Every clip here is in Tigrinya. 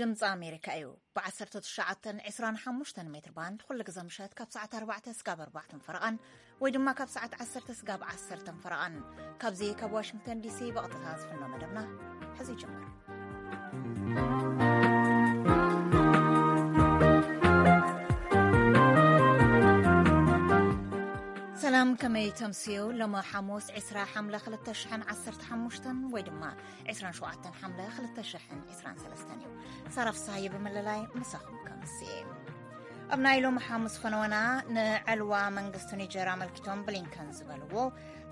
ድምፂ ኣሜሪካ እዩ። ብ1925 ሜትር ባንድ ኩሉ ግዜ ምሸት ካብ ሰዓት ኣርባዕተ ስጋብ ኣርባዕተን ፈረቓን ወይ ድማ ካብ ሰዓት ዓሰርተ ስጋብ ዓሰርተን ፈረቓን ካብዚ ካብ ዋሽንግተን ዲሲ ብቐጥታ ዝፍኖ መደብና ሕዚ ይጅምር። ሰላም፣ ከመይ ተምስዩ? ሎሚ ሓሙስ ዕስራ ሓምለ ክልተ ሽሕን ዓሰርተ ሓሙሽተን ወይ ድማ ዕስራን ሸውዓተን ሓምለ ክልተ ሽሕን ዕስራን ሰለስተን እዩ። ሳራ ፍስሃየ ብምልላይ ምሳኹም ከምስየ። ኣብ ናይ ሎሚ ሓሙስ ፈነወና ንዕልዋ መንግስቲ ኒጀር ኣመልኪቶም ብሊንከን ዝበልዎ፣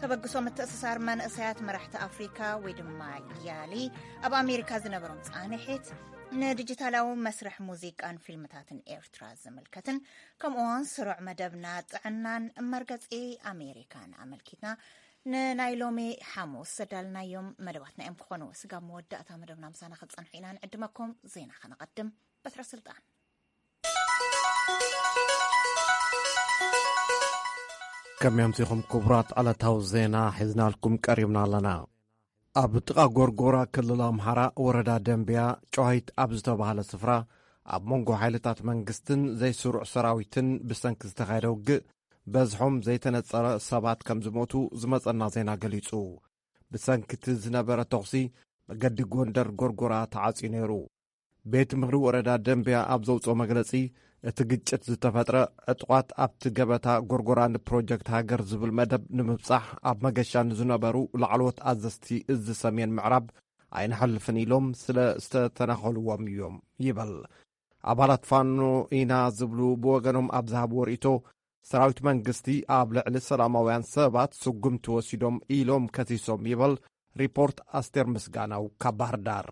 ተበግሶ ምትእስሳር መንእሰያት መራሕቲ ኣፍሪካ ወይ ድማ ያሊ ኣብ ኣሜሪካ ዝነበሮም ፃንሒት፣ ንዲጂታላዊ መስርሕ ሙዚቃን ፊልምታትን ኤርትራ ዝምልከትን ከምኡውን ስሩዕ መደብና ጥዕናን መርገፂ ኣሜሪካን ኣመልኪትና ንናይ ሎሚ ሓሙስ ዘዳልናዮም መደባትና እዮም ክኾኑ። ስጋብ መወዳእታ መደብና ምሳና ክትፀንሑ ኢና ንዕድመኩም። ዜና ከነቐድም። በትረ ስልጣን። ከመይ ኣምሲኹም ክቡራት? ዕለታዊ ዜና ሒዝናልኩም ቀሪብና ኣለና። ኣብ ጥቓ ጎርጎራ ክልል ኣምሓራ ወረዳ ደንብያ ጨዋሂት ኣብ ዝተባህለ ስፍራ ኣብ መንጎ ሓይልታት መንግስትን ዘይስሩዕ ሰራዊትን ብሰንኪ ዝተኻየደ ውግእ በዝሖም ዘይተነጸረ ሰባት ከም ዝሞቱ ዝመጸና ዜና ገሊጹ። ብሰንኪ እቲ ዝነበረ ተኹሲ መገዲ ጎንደር ጎርጎራ ተዓጽዩ ነይሩ። ቤት ምኽሪ ወረዳ ደንብያ ኣብ ዘውፅኦ መግለፂ፣ እቲ ግጭት ዝተፈጥረ ዕጡቓት ኣብቲ ገበታ ጎርጎራ ንፕሮጀክት ሃገር ዝብል መደብ ንምብጻሕ ኣብ መገሻ ንዝነበሩ ላዕለዎት ኣዘዝቲ እዚ ሰሜን ምዕራብ ኣይንሓልፍን ኢሎም ስለ ዝተተናኸልዎም እዮም ይበል። ኣባላት ፋኖ ኢና ዝብሉ ብወገኖም ኣብ ዝሃብዎ ርእይቶ፣ ሰራዊት መንግስቲ ኣብ ልዕሊ ሰላማውያን ሰባት ስጉምቲ ወሲዶም ኢሎም ከሲሶም ይበል ሪፖርት ኣስቴር ምስጋናው ካብ ባህር ዳር።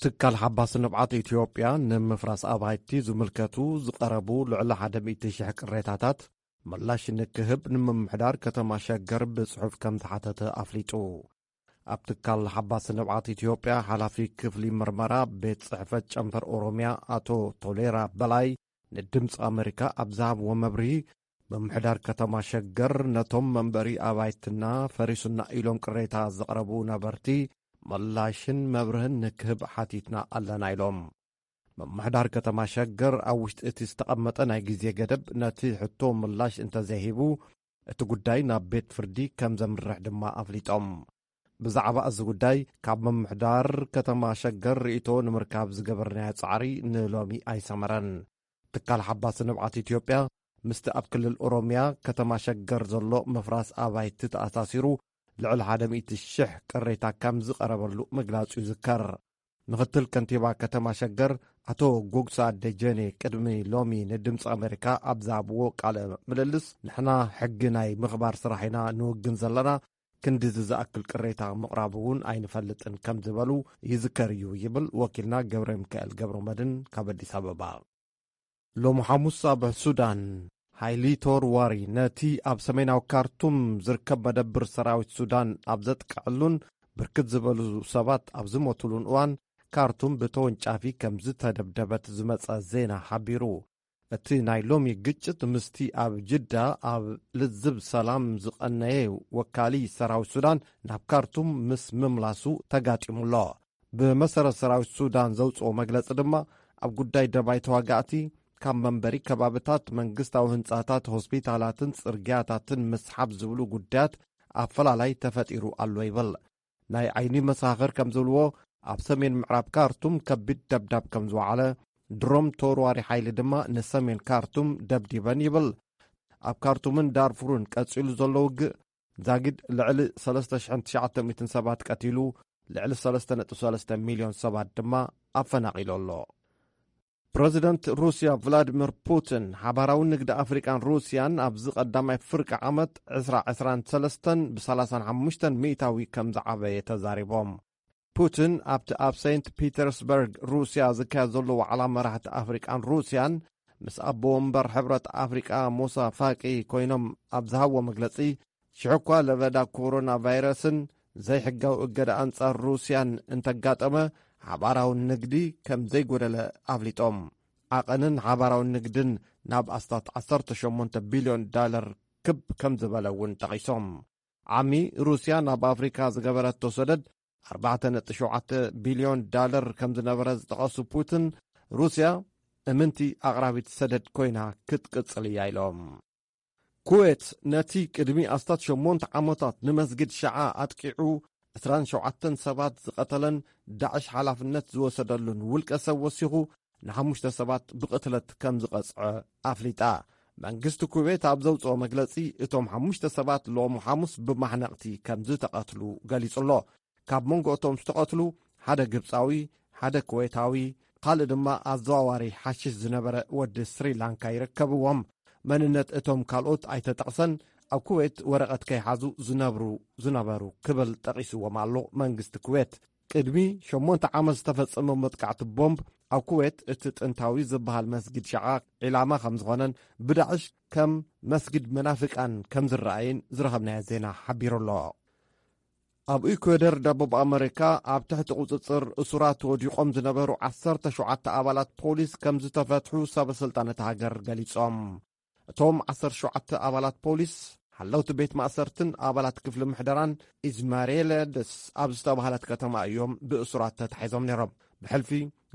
ትካል ሓባሲ ንብዓት ኢትዮጵያ ንምፍራስ ኣባይቲ ዝምልከቱ ዝቐረቡ ልዕሊ ሓደ ሚእቲ ሽሕ ቅሬታታት ምላሽ ንክህብ ንምምሕዳር ከተማ ሸገር ብጽሑፍ ከም ዝሓተተ ኣፍሊጡ። ኣብ ትካል ሓባሲ ንብዓት ኢትዮጵያ ሓላፊ ክፍሊ ምርመራ ቤት ጽሕፈት ጨንፈር ኦሮሚያ ኣቶ ቶሌራ በላይ ንድምፂ ኣሜሪካ ኣብ ዝሃብዎ መብርሂ፣ ምምሕዳር ከተማ ሸገር ነቶም መንበሪ ኣባይትና ፈሪሱና ኢሎም ቅሬታ ዘቕረቡ ነበርቲ ምላሽን መብርህን ንክህብ ሓቲትና ኣለና ኢሎም። ምምሕዳር ከተማ ሸገር ኣብ ውሽጢ እቲ ዝተቐመጠ ናይ ግዜ ገደብ ነቲ ሕቶ ምላሽ እንተዘይሂቡ፣ እቲ ጉዳይ ናብ ቤት ፍርዲ ከም ዘምርሕ ድማ ኣፍሊጦም። ብዛዕባ እዚ ጉዳይ ካብ ምምሕዳር ከተማ ሸገር ርእይቶ ንምርካብ ዝገበርናዮ ጻዕሪ ንሎሚ ኣይሰመረን። ትካል ሓባሲ ንብዓት ኢትዮጵያ ምስቲ ኣብ ክልል ኦሮሚያ ከተማ ሸገር ዘሎ ምፍራስ ኣባይቲ ተኣሳሲሩ ልዕሊ ሓደ ሚእቲ ሽሕ ቅሬታ ከም ዝቐረበሉ ምግላጹ ይዝከር። ምኽትል ከንቲባ ከተማ ሸገር ኣቶ ጎግሳ ደጀኔ ቅድሚ ሎሚ ንድምፂ ኣሜሪካ ኣብ ዝሃብዎ ቃለ ምልልስ፣ ንሕና ሕጊ ናይ ምኽባር ስራሕ ኢና ንውግን ዘለና፣ ክንድዚ ዝኣክል ቅሬታ ምቕራብ እውን ኣይንፈልጥን ከም ዝበሉ ይዝከር እዩ ይብል ወኪልና ገብረ ሚካኤል ገብረ መድን ካብ ኣዲስ ኣበባ። ሎሚ ሓሙስ ኣብ ሱዳን ሓይሊ ተወርዋሪ ነቲ ኣብ ሰሜናዊ ካርቱም ዝርከብ መደብር ሰራዊት ሱዳን ኣብ ዘጥቅዐሉን ብርክት ዝበሉ ሰባት ኣብ ዝሞትሉን እዋን፣ ካርቱም ብተወንጫፊ ከም ዝተደብደበት ዝመጸ ዜና ሓቢሩ። እቲ ናይ ሎሚ ግጭት ምስቲ ኣብ ጅዳ ኣብ ልዝብ ሰላም ዝቐነየ ወካሊ ሰራዊት ሱዳን ናብ ካርቱም ምስ ምምላሱ ተጋጢሙ ኣሎ። ብመሰረት ሰራዊት ሱዳን ዘውፅኦ መግለፂ ድማ፣ ኣብ ጉዳይ ደባይ ተዋጋእቲ ካብ መንበሪ ከባብታት፣ መንግስታዊ ህንፃታት፣ ሆስፒታላትን ፅርግያታትን ምስሓብ ዝብሉ ጉዳያት ኣፈላላይ ተፈጢሩ ኣሎ ይብል። ናይ ዓይኒ መሳኽር ከም ዝብልዎ፣ ኣብ ሰሜን ምዕራብ ካርቱም ከቢድ ደብዳብ ከም ዝወዓለ፣ ድሮም ተወርዋሪ ሓይሊ ድማ ንሰሜን ካርቱም ደብዲበን ይብል። ኣብ ካርቱምን ዳርፉርን ቀጺሉ ዘሎ ውግእ ዛጊድ ልዕሊ ሰለስተ ሽሕን ትሽዓተ ሚእትን ሰባት ቀቲሉ፣ ልዕሊ ሰለስተ ነጥቢ ሰለስተ ሚልዮን ሰባት ድማ ኣፈናቒሉ ኣሎ። ፕረዚደንት ሩስያ ቭላዲሚር ፑቲን፣ ሓባራዊ ንግዲ ኣፍሪቃን ሩስያን ኣብዚ ቀዳማይ ፍርቂ ዓመት ዕስራ ዕስራን ሰለስተን ብ ሰላሳን ሓሙሽተን ሚእታዊ ከም ዝዓበየ ተዛሪቦም። ፑቲን ኣብቲ ኣብ ሴንት ፒተርስበርግ ሩስያ ዝካየድ ዘሎ ዋዕላ መራሕቲ ኣፍሪቃን ሩስያን ምስ ኣቦ ወንበር ሕብረት ኣፍሪቃ ሙሳ ፋቂ ኮይኖም ኣብ ዝሃብዎ መግለጺ፣ ሽሕ እኳ ለበዳ ኮሮና ቫይረስን ዘይሕጋዊ እገዳ ኣንጻር ሩስያን እንተጋጠመ፣ ሓባራዊ ንግዲ ከም ዘይጎደለ ኣፍሊጦም። ዓቐንን ሓባራዊ ንግድን ናብ ኣስታት ዓሰርተ ሸሞንተ ቢልዮን ዳለር ክብ ከም ዝበለ እውን ጠቒሶም። ዓሚ ሩስያ ናብ ኣፍሪካ ዝገበረቶ ሰደድ ኣርባዕተ ነጥቢ ሸውዓተ ቢልዮን ዳለር ከም ዝነበረ ዝጠቐሱ ፑቲን፣ ሩስያ እምንቲ ኣቕራቢት ሰደድ ኮይና ክትቅጽል እያ ኢሎም። ኩዌት ነቲ ቅድሚ ኣስታት ሸሞንተ ዓመታት ንመስጊድ ሸዓ ኣጥቂዑ ዕስራን ሸውዓተን ሰባት ዝቐተለን ዳዕሽ ሓላፍነት ዝወሰደሉን ውልቀ ሰብ ወሲኹ ንሓሙሽተ ሰባት ብቕትለት ከም ዝቐጽዐ ኣፍሊጣ። መንግስቲ ኩዌት ኣብ ዘውጽኦ መግለጺ፣ እቶም ሓሙሽተ ሰባት ሎሚ ሓሙስ ብማሕነቕቲ ከም ዝተቐትሉ ገሊጹ ኣሎ። ካብ መንጎ እቶም ዝተቐትሉ ሓደ ግብጻዊ፣ ሓደ ኩዌታዊ፣ ካልእ ድማ ኣዘዋዋሪ ሓሽሽ ዝነበረ ወዲ ስሪላንካ ይርከብዎም። መንነት እቶም ካልኦት ኣይተጠቕሰን። ኣብ ኩዌት ወረቐት ከይሓዙ ዝነብሩ ዝነበሩ ክብል ጠቒስዎም ኣሎ መንግስቲ ኩዌት። ቅድሚ ሸሞንተ ዓመት ዝተፈጸመ መጥቃዕቲ ቦምብ ኣብ ኩዌት እቲ ጥንታዊ ዝበሃል መስጊድ ሸዓ ዒላማ ከም ዝኾነን ብዳዕሽ ከም መስጊድ መናፍቃን ከም ዝረኣይን ዝረኸብናዮ ዜና ሓቢሩ ኣሎ። ኣብ ኢኳዶር ደቡብ ኣመሪካ ኣብ ትሕቲ ቁጽጽር እሱራት ወዲቖም ዝነበሩ ዓሰርተ ሸውዓተ ኣባላት ፖሊስ ከም ዝተፈትሑ ሰበ ስልጣን እታ ሃገር ገሊጾም። እቶም ዓሰርተ ሸውዓተ ኣባላት ፖሊስ ሓለውቲ ቤት ማእሰርትን ኣባላት ክፍሊ ምሕደራን ኢዝማሬለደስ ኣብ ዝተባህለት ከተማ እዮም ብእሱራት ተታሒዞም ነይሮም። ብሕልፊ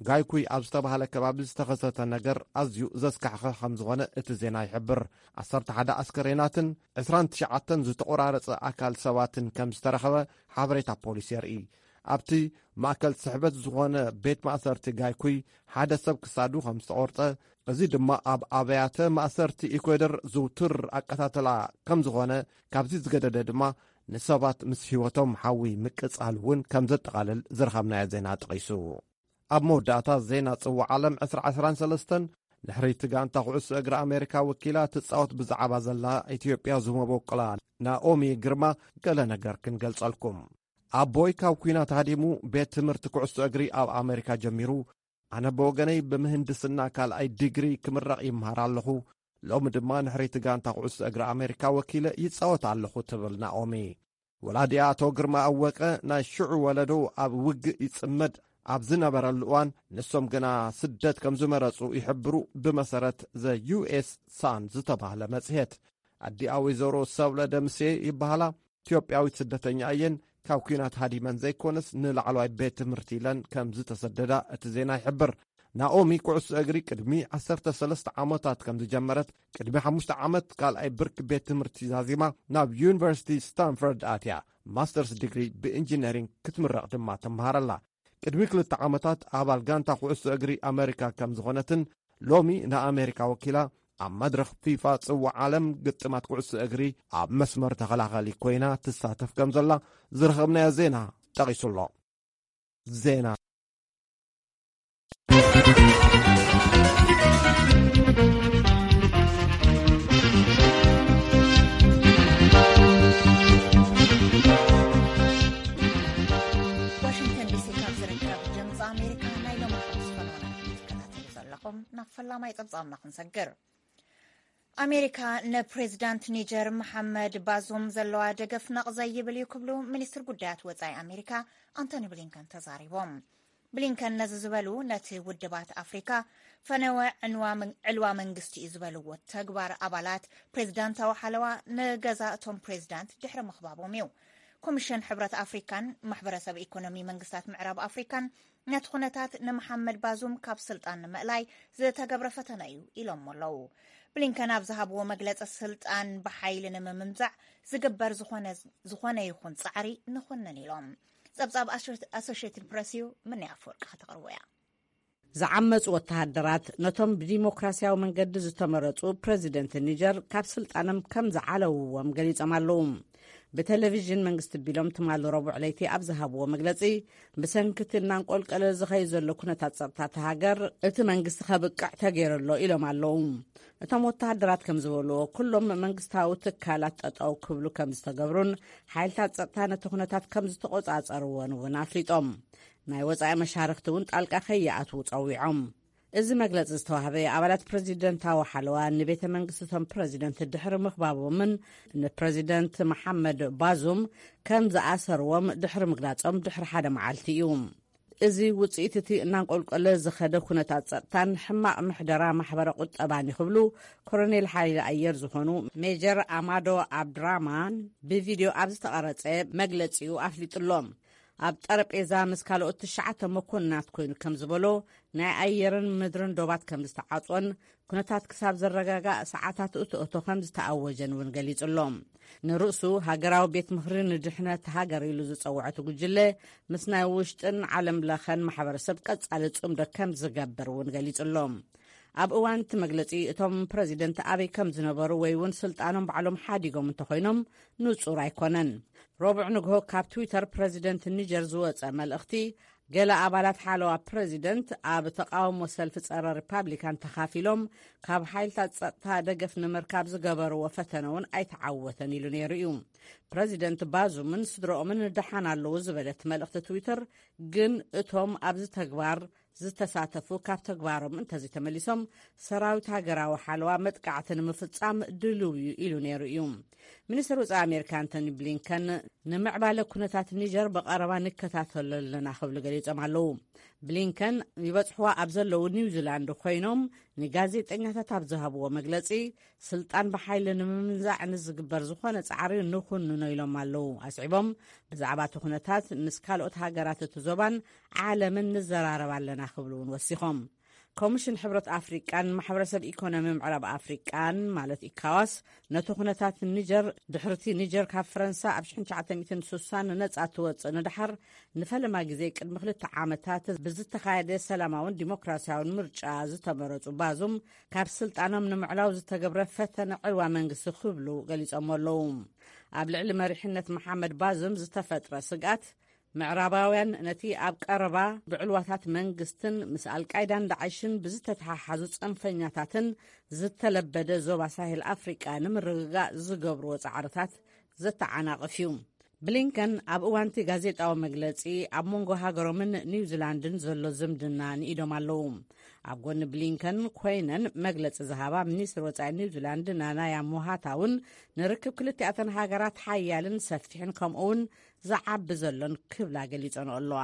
ጋይኩይ ኣብ ዝተባህለ ከባቢ ዝተኸሰተ ነገር ኣዝዩ ዘስካሕኸ ከም ዝኾነ እቲ ዜና ይሕብር። ዓሰርተ ሓደ ኣስከሬናትን ዕስራን ትሽዓተን ዝተቖራረጸ ኣካል ሰባትን ከም ዝተረኸበ ሓበሬታ ፖሊስ የርኢ። ኣብቲ ማእከል ስሕበት ዝኾነ ቤት ማእሰርቲ ጋይኩይ ሓደ ሰብ ክሳዱ ከም ዝተቖርጸ፣ እዚ ድማ ኣብ ኣብያተ ማእሰርቲ ኢኳዶር ዝውቱር ኣቀታተላ ከም ዝኾነ፣ ካብዚ ዝገደደ ድማ ንሰባት ምስ ህይወቶም ሓዊ ምቅጻል እውን ከም ዘጠቓልል ዝረኸብናዮ ዜና ጠቒሱ። ኣብ መወዳእታ ዜና ጽዋዕ ዓለም ዕስራ ዕስራን ሰለስተን፣ ንሕርይቲ ጋንታ ኩዕሶ እግሪ ኣሜሪካ ወኪላ ትጻወት ብዛዕባ ዘላ ኢትዮጵያ ዝመበቆላ ናኦሚ ግርማ ገለ ነገር ክንገልጸልኩም። ኣቦይ ካብ ኲናት ሃዲሙ ቤት ትምህርቲ ኩዕሶ እግሪ ኣብ ኣሜሪካ ጀሚሩ፣ ኣነ ብወገነይ ብምህንድስና ካልኣይ ዲግሪ ክምረቕ ይምሃር ኣለኹ። ሎሚ ድማ ንሕርይቲ ጋንታ ኩዕሶ እግሪ ኣሜሪካ ወኪለ ይጻወት ኣለኹ ትብል ናኦሚ። ወላዲኣ ኣቶ ግርማ ኣወቀ ናይ ሽዑ ወለዶ ኣብ ውግእ ይጽመድ ኣብ ዝነበረሉ እዋን፣ ንሶም ግና ስደት ከም ዝመረጹ ይሕብሩ፣ ብመሰረት ዘ ዩ ኤስ ሳን ዝተባህለ መጽሔት። ኣዲኣ ወይዘሮ ሰብለ ደምሴ ይበሃላ። ኢትዮጵያዊት ስደተኛ እየን። ካብ ኲናት ሃዲመን ዘይኮነስ ንላዕለዋይ ቤት ትምህርቲ ኢለን ከም ዝተሰደዳ እቲ ዜና ይሕብር። ናኦሚ ኩዕሶ እግሪ ቅድሚ ዓሰርተ ሰለስተ ዓመታት ከም ዝጀመረት፣ ቅድሚ ሓሙሽተ ዓመት ካልኣይ ብርኪ ቤት ትምህርቲ ዛዚማ ናብ ዩኒቨርሲቲ ስታንፈርድ ኣትያ። ማስተርስ ዲግሪ ብኢንጂነሪንግ ክትምረቕ ድማ ትምሃር ኣላ። ቅድሚ ክልተ ዓመታት ኣባል ጋንታ ኩዕሶ እግሪ ኣመሪካ ከም ዝኾነትን፣ ሎሚ ንኣሜሪካ ወኪላ ኣብ መድረኽ ፊፋ ጽዋዕ ዓለም ግጥማት ኩዕሶ እግሪ ኣብ መስመር ተኸላኸሊ ኮይና ትሳተፍ ከም ዘላ ዝረኸብናዮ ዜና ጠቒሱ ኣሎ። ዜና። ዋሽንግተን ዲሲ ካብ ዝርከብ ድምፂ ኣሜሪካ ናይ ሎሚ ሓሙስ ፈነወና ትከታተሉ ዘለኹም። ናብ ፈላማይ ፀብፃብና ክንሰግር። ኣሜሪካ ንፕሬዚዳንት ኒጀር መሓመድ ባዙም ዘለዋ ደገፍ ነቕ ዘይብል እዩ ክብሉ ሚኒስትር ጉዳያት ወፃኢ ኣሜሪካ ኣንቶኒ ብሊንከን ተዛሪቦም። ብሊንከን ነዚ ዝበሉ ነቲ ውድባት ኣፍሪካ ፈነወ ዕንዋ መን- ዕልዋ መንግስቲ እዩ ዝበልዎ ተግባር ኣባላት ፕሬዚዳንታዊ ሓለዋ ንገዛ እቶም ፕሬዚዳንት ድሕሪ ምኽባቦም እዩ። ኮሚሽን ሕብረት ኣፍሪካን ማሕበረሰብ ኢኮኖሚ መንግስታት ምዕራብ ኣፍሪካን ነቲ ኩነታት ንመሓመድ ባዙም ካብ ስልጣን ንምእላይ ዝተገብረ ፈተነ እዩ ኢሎሞ ኣለዉ። ብሊንከን ኣብ ዝሃብዎ መግለፂ ስልጣን ብሓይሊ ንምምንዛዕ ዝግበር ዝኾነ ዝኾነ ይኹን ፃዕሪ ንኹንን ኢሎም። ፀብፃብ ኣሶ- ኣሶሽየትድ ፕረስ እዩ። ምንያ ኣፈወርቂ ከተቕርቦ እያ። ዝዓመፁ ወተሃደራት ነቶም ብዲሞክራሲያዊ መንገዲ ዝተመረፁ ፕረዚደንት ኒጀር ካብ ስልጣኖም ከም ዝዓለውዎም ገሊፆም ኣለዉ። ብቴሌቪዥን መንግስቲ ቢሎም ትማሊ ረቡዕ ለይቲ ኣብ ዝሃብዎ መግለፂ፣ ብሰንኪ እቲ እናንቆልቀለ ዝኸይ ዘሎ ኩነታት ጸጥታ እታ ሃገር እቲ መንግስቲ ከብቅዕ ተገይሩ ኣሎ ኢሎም ኣለዉ። እቶም ወተሃደራት ከም ዝበልዎ፣ ኩሎም መንግስታዊ ትካላት ጠጠው ክብሉ ከም ዝተገብሩን ሓይልታት ጸጥታ ነቲ ኩነታት ከም ዝተቆጻጸርዎን እውን ኣፍሊጦም። ናይ ወጻኢ መሻርክቲ እውን ጣልቃ ከይኣትዉ ጸዊዖም። እዚ መግለጺ ዝተዋህበ ኣባላት ፕረዚደንታዊ ሓለዋ ንቤተ መንግስቲ እቶም ፕረዚደንት ድሕሪ ምኽባቦምን ንፕረዚደንት መሓመድ ባዙም ከም ዝኣሰርዎም ድሕሪ ምግላጾም ድሕሪ ሓደ መዓልቲ እዩ። እዚ ውጽኢት እቲ እናንቆልቆለ ዝኸደ ኩነታት ጸጥታን ሕማቕ ምሕደራ ማሕበረ ቁጠባን እዩ ክብሉ ኮሎኔል ሓይሊ ኣየር ዝኾኑ ሜጀር ኣማዶ ኣብድራማን ብቪድዮ ኣብ ዝተቐረጸ መግለጺኡ ኣፍሊጡሎም። ኣብ ጠረጴዛ ምስ ካልኦት ትሽዓተ መኮንናት ኮይኑ ከም ዝበሎ፣ ናይ ኣየርን ምድርን ዶባት ከም ዝተዓጾን፣ ኩነታት ክሳብ ዝረጋጋእ ሰዓታት እቶ እቶ ከም ዝተኣወጀን እውን ገሊጹ ኣሎ። ንርእሱ ሃገራዊ ቤት ምኽሪ ንድሕነት ሃገር ኢሉ ዝጸውዐ እቲ ጉጅለ፣ ምስ ናይ ውሽጥን ዓለም ለኸን ማሕበረሰብ ቀጻሊ ጽምዶ ከም ዝገብር እውን ገሊጹ ኣሎ። ኣብ እዋን እቲ መግለጺ፣ እቶም ፕረዚደንት ኣበይ ከም ዝነበሩ ወይ እውን ስልጣኖም ባዕሎም ሓዲጎም እንተኾይኖም ንጹር ኣይኮነን። ረቡዕ ንግሆ ካብ ትዊተር ፕረዚደንት ኒጀር ዝወጸ መልእኽቲ፣ ገለ ኣባላት ሓለዋ ፕረዚደንት ኣብ ተቃውሞ ሰልፊ ጸረ ሪፓብሊካን ተኻፊሎም፣ ካብ ሓይልታት ጸጥታ ደገፍ ንምርካብ ዝገበርዎ ፈተነ እውን ኣይተዓወተን ኢሉ ነይሩ እዩ። ፕረዚደንት ባዙምን ስድረኦምን ደሓን ኣለዉ ዝበለት መልእኽቲ ትዊተር፣ ግን እቶም ኣብዚ ተግባር ዝተሳተፉ ካብ ተግባሮም እንተዘይተመሊሶም፣ ሰራዊት ሃገራዊ ሓለዋ መጥቃዕቲ ንምፍጻም ድልው እዩ ኢሉ ነይሩ እዩ። ሚኒስትር ወጻኢ ኣሜሪካ ኣንቶኒ ብሊንከን፣ ንምዕባለ ኩነታት ኒጀር ብቐረባ ንከታተሎ ኣለና ክብሉ ገሊጾም ኣለዉ። ብሊንከን ይበጽሕዋ ኣብ ዘለዉ ኒውዚላንድ ኮይኖም ንጋዜጠኛታት ኣብ ዝሃብዎ መግለጺ፣ ስልጣን ብሓይሊ ንምምንዛዕ ንዝግበር ዝኾነ ጻዕሪ ንኹንኖ ኢሎም ኣለዉ። ኣስዒቦም፣ ብዛዕባ እቲ ኩነታት ምስ ካልኦት ሃገራት እቲ ዞባን ዓለምን ንዘራረብ ኣለና ክብሉ እውን ወሲኾም። ኮሚሽን ሕብረት ኣፍሪቃን ማሕበረሰብ ኢኮኖሚ ምዕራብ ኣፍሪቃን ማለት ኢካዋስ፣ ነቲ ኩነታት ኒጀር፣ ድሕርቲ ኒጀር ካብ ፈረንሳ ኣብ ሽሕን ትሽዓተ ሚእትን ስሳን ነጻ ትወጽእ ንደሓር፣ ንፈለማ ግዜ ቅድሚ ክልተ ዓመታት ብዝተኻየደ ሰላማውን ዲሞክራሲያውን ምርጫ ዝተመረጹ ባዙም፣ ካብ ስልጣኖም ንምዕላው ዝተገብረ ፈተነ ዕልዋ መንግስቲ ክብሉ ገሊጾም ኣለዉ። ኣብ ልዕሊ መሪሕነት መሓመድ ባዙም ዝተፈጥረ ስግኣት፣ ምዕራባውያን ነቲ ኣብ ቀረባ ብዕልዋታት መንግስትን ምስ ኣልቃይዳን ዳዕሽን ብዝተተሓሓዙ ጽንፈኛታትን ዝተለበደ ዞባ ሳሄል ኣፍሪቃ ንምርግጋእ ዝገብርዎ ጻዕርታት ዘተዓናቕፍ እዩ። ብሊንከን ኣብ እዋንቲ ጋዜጣዊ መግለጺ፣ ኣብ መንጎ ሃገሮምን ኒውዚላንድን ዘሎ ዝምድና ንኢዶም ኣለዉ። ኣብ ጎኒ ብሊንከን ኮይነን መግለጺ ዝሃባ ሚኒስትር ወጻኢ ኒውዚላንድ ናናያ ሞሃታ እውን፣ ንርክብ ክልቲኣተን ሃገራት ሓያልን ሰፊሕን ከምኡ እውን ዝዓቢ ዘሎን ክብላ ገሊጸንኦ ኣለዋ።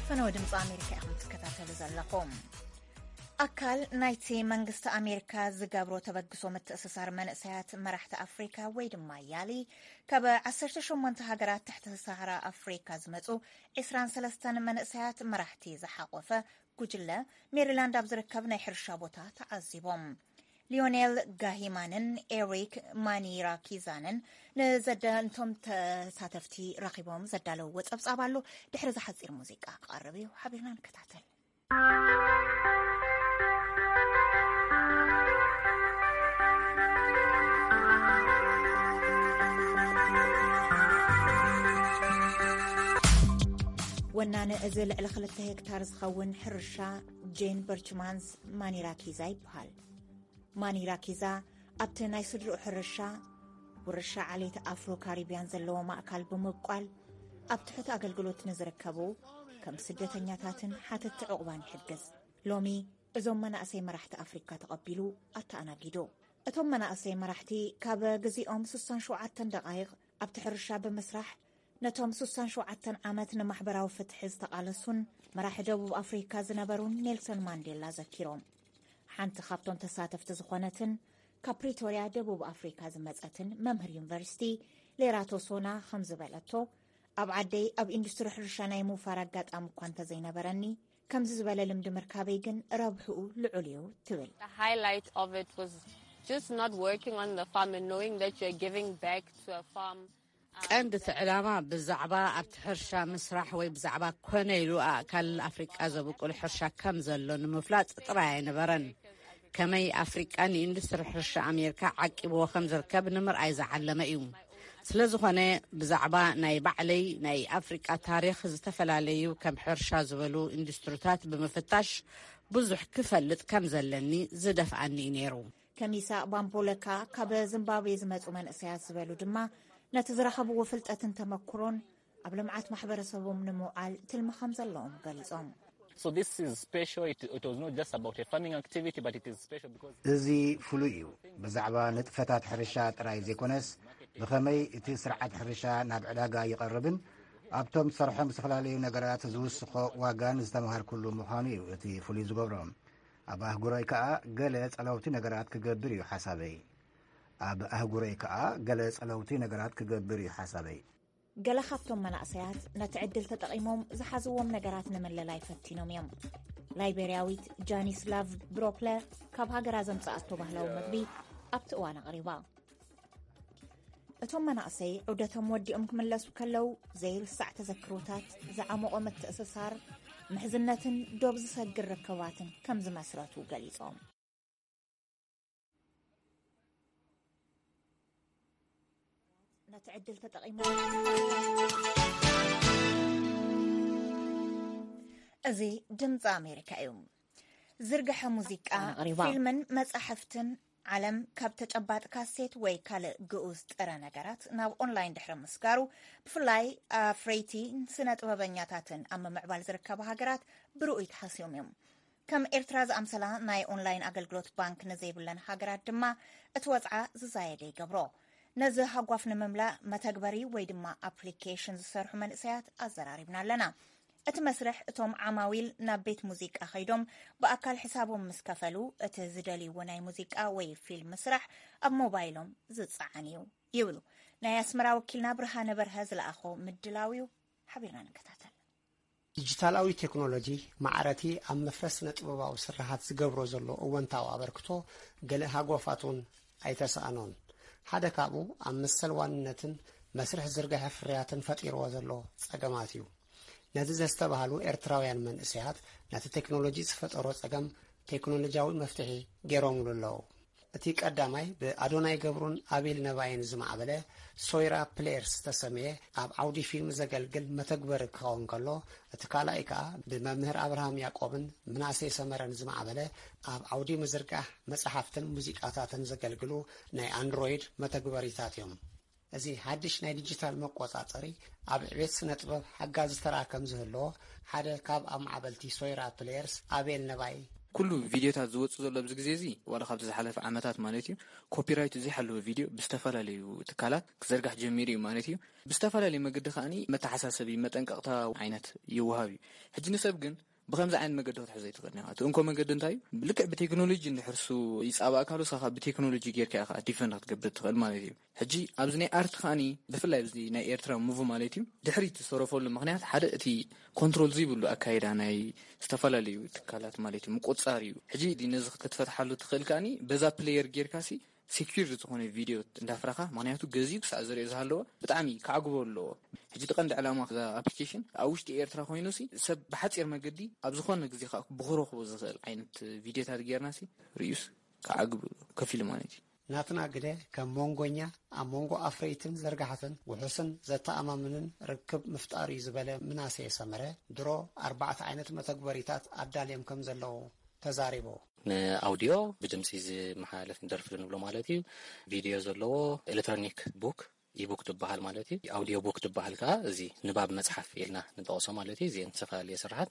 ፈነወ ድምፂ ኣሜሪካ ኢኹም ትከታተሉ ዘለኹም። ኣካል ናይቲ መንግስቲ ኣሜሪካ ዝገብሮ ተበግሶ ምትእስሳር መንእሰያት መራሕቲ ኣፍሪካ ወይ ድማ ያሊ፣ ካብ ዓሰርተ ሸሞንተ ሃገራት ትሕቲ ሰሃራ ኣፍሪካ ዝመፁ ዕስራን ሰለስተን መንእሰያት መራሕቲ ዝሓቆፈ ጉጅለ፣ ሜሪላንድ ኣብ ዝርከብ ናይ ሕርሻ ቦታ ተዓዚቦም። ሊዮኔል ጋሂማንን ኤሪክ ማኒራኪዛንን ንዘዳንቶም ተሳተፍቲ ረኺቦም ዘዳለውዎ ጸብጻብ ኣሎ። ድሕሪ እዚ ሓጺር ሙዚቃ ክቐርብ እዩ። ሓቢርና ንከታተል። ወናኒ እዚ ልዕሊ ክልተ ሄክታር ዝኸውን ሕርሻ፣ ጄን በርችማንስ ማኒራኪዛ ይበሃል። ማኒራኪዛ ኣብቲ ናይ ስድርኡ ሕርሻ፣ ውርሻ ዓሌት ኣፍሮ ካሪብያን ዘለዎ ማእካል ብምብቋል፣ ኣብ ትሑት ኣገልግሎት ንዝርከቡ ከም ስደተኛታትን ሓተትቲ ዕቑባን ይሕግዝ። ሎሚ እዞም መናእሰይ መራሕቲ ኣፍሪካ ተቐቢሉ ኣተኣናጊዱ። እቶም መናእሰይ መራሕቲ ካብ ግዜኦም ስሳን ሸውዓተን ደቓይቕ ኣብቲ ሕርሻ ብምስራሕ፣ ነቶም ስሳን ሸውዓተን ዓመት ንማሕበራዊ ፍትሒ ዝተቓለሱን መራሒ ደቡብ ኣፍሪካ ዝነበሩን ኔልሰን ማንዴላ ዘኪሮም። ሓንቲ ካብቶም ተሳተፍቲ ዝኾነትን ካብ ፕሪቶርያ ደቡብ ኣፍሪካ ዝመጸትን መምህር ዩኒቨርሲቲ ሌራቶ ሶና ከም ዝበለቶ፣ ኣብ ዓደይ ኣብ ኢንዱስትሪ ሕርሻ ናይ ምውፋር ኣጋጣሚ እኳ እንተዘይነበረኒ፣ ከምዚ ዝበለ ልምዲ ምርካበይ ግን ረብሕኡ ልዑል እዩ ትብል። The highlight of it was just not working on the farm and knowing that you're giving back to a farm. ቀንዲ እቲ ዕላማ ብዛዕባ ኣብቲ ሕርሻ ምስራሕ ወይ ብዛዕባ ኮነ ኢሉ ኣእካል ኣፍሪቃ ዘብቁል ሕርሻ ከም ዘሎ ንምፍላጥ ጥራይ ኣይነበረን። ከመይ ኣፍሪቃ ንኢንዱስትሪ ሕርሻ ኣሜሪካ ዓቂብዎ ከም ዝርከብ ንምርኣይ ዝዓለመ እዩ። ስለ ዝኾነ ብዛዕባ ናይ ባዕለይ ናይ ኣፍሪቃ ታሪኽ፣ ዝተፈላለዩ ከም ሕርሻ ዝበሉ ኢንዱስትሪታት ብምፍታሽ ብዙሕ ክፈልጥ ከም ዘለኒ ዝደፍኣኒ እዩ ነይሩ። ከሚሳ ባምቦለካ ካብ ዚምባብዌ ዝመጹ መንእሰያት ዝበሉ ድማ፣ ነቲ ዝረኸብዎ ፍልጠትን ተመኩሮን ኣብ ልምዓት ማሕበረሰቦም ንምውዓል ትልሚ ከም ዘለዎም ገሊጾም። So this is special. It, it was not just about a farming activity, but it is special because እዚ ፍሉይ እዩ። ብዛዕባ ንጥፈታት ሕርሻ ጥራይ ዘይኮነስ፣ ብኸመይ እቲ ስርዓት ሕርሻ ናብ ዕዳጋ ይቐርብን ኣብቶም ዝሰርሖም ዝተፈላለዩ ነገራት ዝውስኾ ዋጋን ዝተምሃርኩሉ ምዃኑ እዩ እቲ ፍሉይ ዝገብሮ። ኣብ ኣህጉረይ ከኣ ገለ ጸለውቲ ነገራት ክገብር እዩ ሓሳበይ። ኣብ ኣህጉረይ ከኣ ገለ ጸለውቲ ነገራት ክገብር እዩ ሓሳበይ። ገለ ካብቶም መናእሰያት ነቲ ዕድል ተጠቒሞም ዝሓዝዎም ነገራት ንምልላይ ፈቲኖም እዮም። ላይቤርያዊት ጃኒስ ላቭ ብሮፕለ ካብ ሃገራ ዘምጽኣቶ ባህላዊ መግቢ ኣብቲ እዋን ኣቕሪባ። እቶም መናእሰይ ዑደቶም ወዲኦም ክምለሱ ከለዉ ዘይርሳዕ ተዘክሮታት፣ ዝዓመቖ ምትእስሳር፣ ምሕዝነትን ዶብ ዝሰግር ርክባትን ከም ዝመስረቱ ገሊጾም። ነቲ ዕድል ተጠቒሞም። እዚ ድምፂ ኣሜሪካ እዩ። ዝርግሐ ሙዚቃ፣ ኣቕሪባ። ፊልምን መጻሕፍትን ዓለም ካብ ተጨባጥ ካሴት ወይ ካልእ ግኡዝ ጥረ ነገራት ናብ ኦንላይን ድሕሪ ምስጋሩ፣ ብፍላይ ኣፍረይቲ ስነ ጥበበኛታትን ኣብ ምምዕባል ዝርከባ ሃገራት ብርኡይ ተሃስዮም እዮም። ከም ኤርትራ ዝኣምሰላ ናይ ኦንላይን ኣገልግሎት ባንክ ንዘይብለን ሃገራት ድማ እቲ ወጽዓ ዝዛየደ ይገብሮ። ነዚ ሃጓፍ ንምምላእ መተግበሪ ወይ ድማ ኣፕሊኬሽን ዝሰርሑ መንእሰያት ኣዘራሪብና ኣለና። እቲ መስርሕ እቶም ዓማዊል ናብ ቤት ሙዚቃ ከይዶም ብኣካል ሕሳቦም ምስ ከፈሉ እቲ ዝደልይዎ ናይ ሙዚቃ ወይ ፊልም ስራሕ ኣብ ሞባይሎም ዝጸዓን እዩ ይብሉ። ናይ ኣስመራ ወኪልና ብርሃነ በርሀ ዝለኣኾ ምድላው እዩ። ሓቢርና ንከታተል። ዲጂታላዊ ቴክኖሎጂ ማዕረቲ ኣብ መፍረስ ስነ ጥበባዊ ስርሓት ዝገብሮ ዘሎ እወንታዊ ኣበርክቶ ገለ ሃጎፋት እውን ኣይተሳእኖን። ሓደ ካብኡ ኣብ መሰል ዋንነትን መስርሕ ዝርግሐ ፍርያትን ፈጢርዎ ዘሎ ጸገማት እዩ። ነዚ ዘስተባህሉ ኤርትራውያን መንእሰያት ነቲ ቴክኖሎጂ ዝፈጠሮ ጸገም ቴክኖሎጂያዊ መፍትሒ ገይሮምሉ ኣለዉ። እቲ ቀዳማይ ብኣዶናይ ገብሩን ኣቤል ነባይን ዝማዕበለ ሶይራ ፕሌየርስ ዝተሰምየ ኣብ ዓውዲ ፊልም ዘገልግል መተግበሪ ክኸውን ከሎ፣ እቲ ካልኣይ ከኣ ብመምህር ኣብርሃም ያቆብን ምናሴ ሰመረን ዝማዕበለ ኣብ ዓውዲ ምዝርጋሕ መጽሓፍትን ሙዚቃታትን ዘገልግሉ ናይ ኣንድሮይድ መተግበሪታት እዮም። እዚ ሓድሽ ናይ ዲጂታል መቆጻጸሪ ኣብ ዕቤት ስነ ጥበብ ሓጋዚ ተራ ከም ዝህልዎ ሓደ ካብ ኣማዕበልቲ ሶይራ ፕሌየርስ ኣቤል ነባይ ኩሉ ቪድዮታት ዝወፁ ዘሎ ኣብዚ ግዜ እዚ ዋላ ካብቲ ዝሓለፈ ዓመታት ማለት እዩ ኮፒራይቱ ዘይሓለወ ቪድዮ ብዝተፈላለዩ ትካላት ክዘርጋሕ ጀሚሩ እዩ ማለት እዩ። ብዝተፈላለዩ መገዲ ከዓኒ መተሓሳሰቢ መጠንቀቕታ ዓይነት ይወሃብ እዩ። ሕጂ ንሰብ ግን ብከምዚ ዓይነት መገዲ ክትሕዞ ኣይትኽእልን ኢኻ። እቲ እንኮ መገዲ እንታይ እዩ? ልክዕ ብቴክኖሎጂ እንድሕር እሱ ይጻባእካ ኣሎ፣ ንስኻ ብቴክኖሎጂ ጌርካ ኢኻ ዲፈንድ ክትገብር ትኽእል ማለት እዩ። ሕጂ ኣብዚ ናይ ኣርት ከዓኒ ብፍላይ ኣብዚ ናይ ኤርትራ ሙቭ ማለት እዩ ድሕሪት ዝሰረፈሉ ምኽንያት ሓደ እቲ ኮንትሮል ዘይብሉ ኣካይዳ ናይ ዝተፈላለዩ ትካላት ማለት እዩ ምቁጽጻር እዩ። ሕጂ ነዚ ክትፈትሓሉ ትኽእል ከዓኒ በዛ ፕሌየር ጌርካ ሲ ሴኩር ዝኾነ ቪድዮ እንዳፍረኻ ምኽንያቱ ገዚኡ ክሳዕ ዝሪኦ ዝሃለወ ብጣዕሚ ክዓግቦ ኣለዎ። ሕጂ እቲ ቀንዲ ዕላማ እዛ ኣፕሊኬሽን ኣብ ውሽጢ ኤርትራ ኮይኑ ሲ ሰብ ብሓፂር መገዲ ኣብ ዝኾነ ግዜ ከዓ ብክረኽቦ ዝኽእል ዓይነት ቪድዮታት ጌርና ሲ ርእዩስ ክዓግብ ከፊሉ ማለት እዩ። ናትና ግደ ከም መንጎኛ ኣብ መንጎ ኣፍረይትን ዘርጋሕትን ውሑስን ዘተኣማምንን ርክብ ምፍጣር እዩ ዝበለ ምናሴ ሰመረ ድሮ ኣርባዕተ ዓይነት መተግበሪታት ኣዳልዮም ከም ዘለዉ ተዛሪቡ። ንኣውድዮ ብድምፂ ዝመሓላለፍ ደርፊ ንብሎ ማለት እዩ። ቪድዮ ዘለዎ ኤሌክትሮኒክ ቡክ ኢቡክ ትበሃል ማለት እዩ። ኣውድዮ ቡክ ትበሃል ከዓ እዚ ንባብ መፅሓፍ ኢልና ንጠቕሶ ማለት እዩ። እዚአን ዝተፈላለየ ስራሓት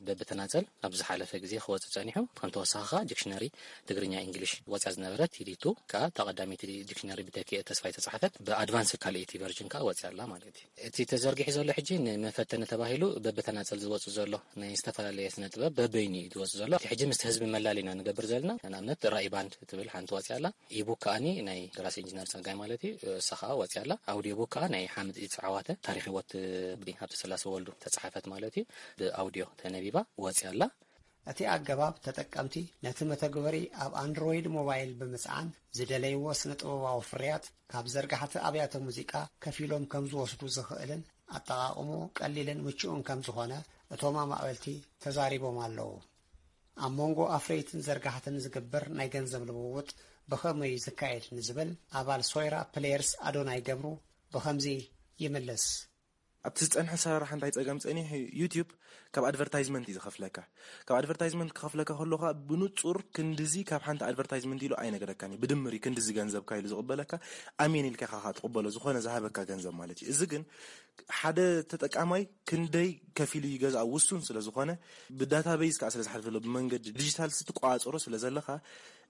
በብተናፀል ኣብ ዝሓለፈ ግዜ ክወፅእ ፀኒሑ ከም ተወሳኺ ከዓ ዲክሽነሪ ትግርኛ ኢንግሊሽ ወፅያ ዝነበረት ቲዲቱ ከዓ እታ ቀዳመይቲ ዲክሽነሪ ብተኪኤ ተስፋይ ተፃሓፈት ብኣድቫንስ ካልኣይቲ ቨርጅን ከዓ ወፅያ ኣላ ማለት እዩ። እቲ ተዘርጊሑ ዘሎ ሕጂ ንመፈተኒ ተባሂሉ በብተናፀል ዝወፅእ ዘሎ ናይ ዝተፈላለየ ስነ ጥበብ በበይኑ እዩ ዝወፅእ ዘሎ። እቲ ሕጂ ምስቲ ህዝቢ መላሊና ንገብር ዘለና ንኣብነት ራኢ ባንድ ትብል ሓንቲ ወፅያ ኣላ። ኢቡክ ከዓኒ ናይ ደራሲ ኢንጂነር ፀጋይ ማለት እዩ እሳ ከዓ ወፅያ ኣላ። ኣውዲዮ ቡክ ከዓ ናይ ሓምድ ኢት ዓዋተ ታሪክ ህይወት ብዲ ሃብተ ስላሴ ወልዱ ተፃሓፈት ማለት እዩ ብኣውዲዮ ተነቢባ ወፅያ ኣላ። እቲ ኣገባብ ተጠቀምቲ ነቲ መተግበሪ ኣብ ኣንድሮይድ ሞባይል ብምጽዓን ዝደለይዎ ስነ ጥበባዊ ፍርያት ካብ ዘርጋሕቲ ኣብያተ ሙዚቃ ከፊሎም ከም ዝወስዱ ዝኽእልን ኣጠቓቕምኡ ቀሊልን ምቹእን ከም ዝኾነ እቶም ኣማዕበልቲ ተዛሪቦም ኣለዉ። ኣብ መንጎ ኣፍረይትን ዘርጋሕትን ዝግበር ናይ ገንዘብ ልውውጥ ብኸመይ እዩ ዝካየድ ንዝብል ኣባል ሶይራ ፕሌየርስ ኣዶናይ ገብሩ ብኸምዚ ይምልስ። ኣብቲ ዝፀንሐ ኣሰራርሓ እንታይ ፀገም ፀኒሑ እዩ? ዩትዩብ ካብ ኣድቨርታይዝመንት እዩ ዝኸፍለካ። ካብ ኣድቨርታይዝመንት ክኸፍለካ ከሎ ከዓ ብንፁር ክንድዚ ካብ ሓንቲ ኣድቨርታይዝመንት ኢሉ ኣይነገረካን እዩ። ብድምር እዩ ክንድዚ ገንዘብካ ኢሉ ዝቕበለካ። ኣሜን ኢልካ ኢኻ ትቕበሎ፣ ዝኾነ ዝሃበካ ገንዘብ ማለት እዩ። እዚ ግን ሓደ ተጠቃማይ ክንደይ ከፊሉ ይገዝኣ ውሱን ስለ ዝኾነ ብዳታቤዝ ከዓ ስለ ዝሓልፍ ዘሎ ብመንገዲ ዲጂታል ስትቆፃፀሮ ስለ ዘለኻ